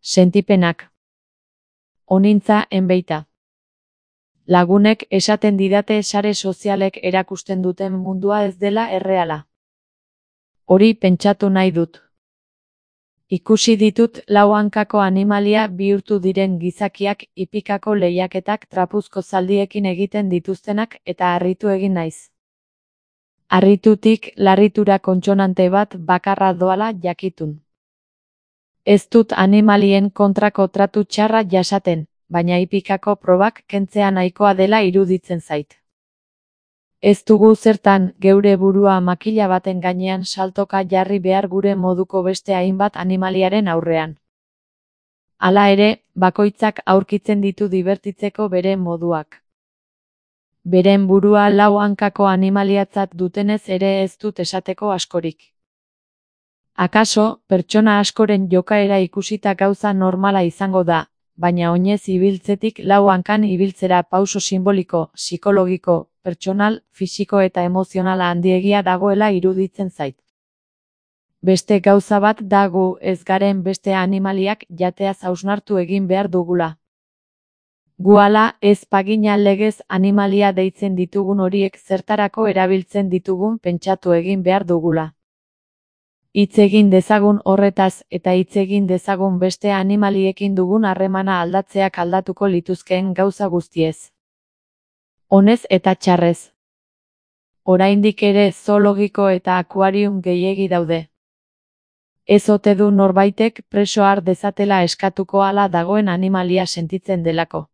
Sentipenak. Onintza enbeita. Lagunek esaten didate sare sozialek erakusten duten mundua ez dela erreala. Hori pentsatu nahi dut. Ikusi ditut lau hankako animalia bihurtu diren gizakiak hipikako lehiaketak trapuzko zaldiekin egiten dituztenak eta harritu egin naiz. Harritutik larritura kontsonante bat bakarra doala jakitun. Ez dut animalien kontrako tratu txarra jasaten, baina hipikako probak kentzea nahikoa dela iruditzen zait. Ez dugu zertan geure burua makila baten gainean saltoka jarri behar gure moduko beste hainbat animaliaren aurrean. Hala ere, bakoitzak aurkitzen ditu dibertitzeko bere moduak. Beren burua lau hankako animaliatzat dutenez ere ez dut esateko askorik. Akaso, pertsona askoren jokaera ikusita gauza normala izango da, baina oinez ibiltzetik lau hankan ibiltzera pauso simboliko, psikologiko, pertsonal, fisiko eta emozionala handiegia dagoela iruditzen zait. Beste gauza bat da gu ez garen beste animaliak jateaz hausnartu egin behar dugula. Gu hala ez pagina legez animalia deitzen ditugun horiek zertarako erabiltzen ditugun pentsatu egin behar dugula. Hitz egin dezagun horretaz eta hitz egin dezagun beste animaliekin dugun harremana aldatzeak aldatuko lituzkeen gauza guztiez. Onez eta txarrez. Oraindik ere zoologiko eta akuarium gehiegi daude. Ez ote du norbaitek preso har dezatela eskatuko hala dagoen animalia sentitzen delako.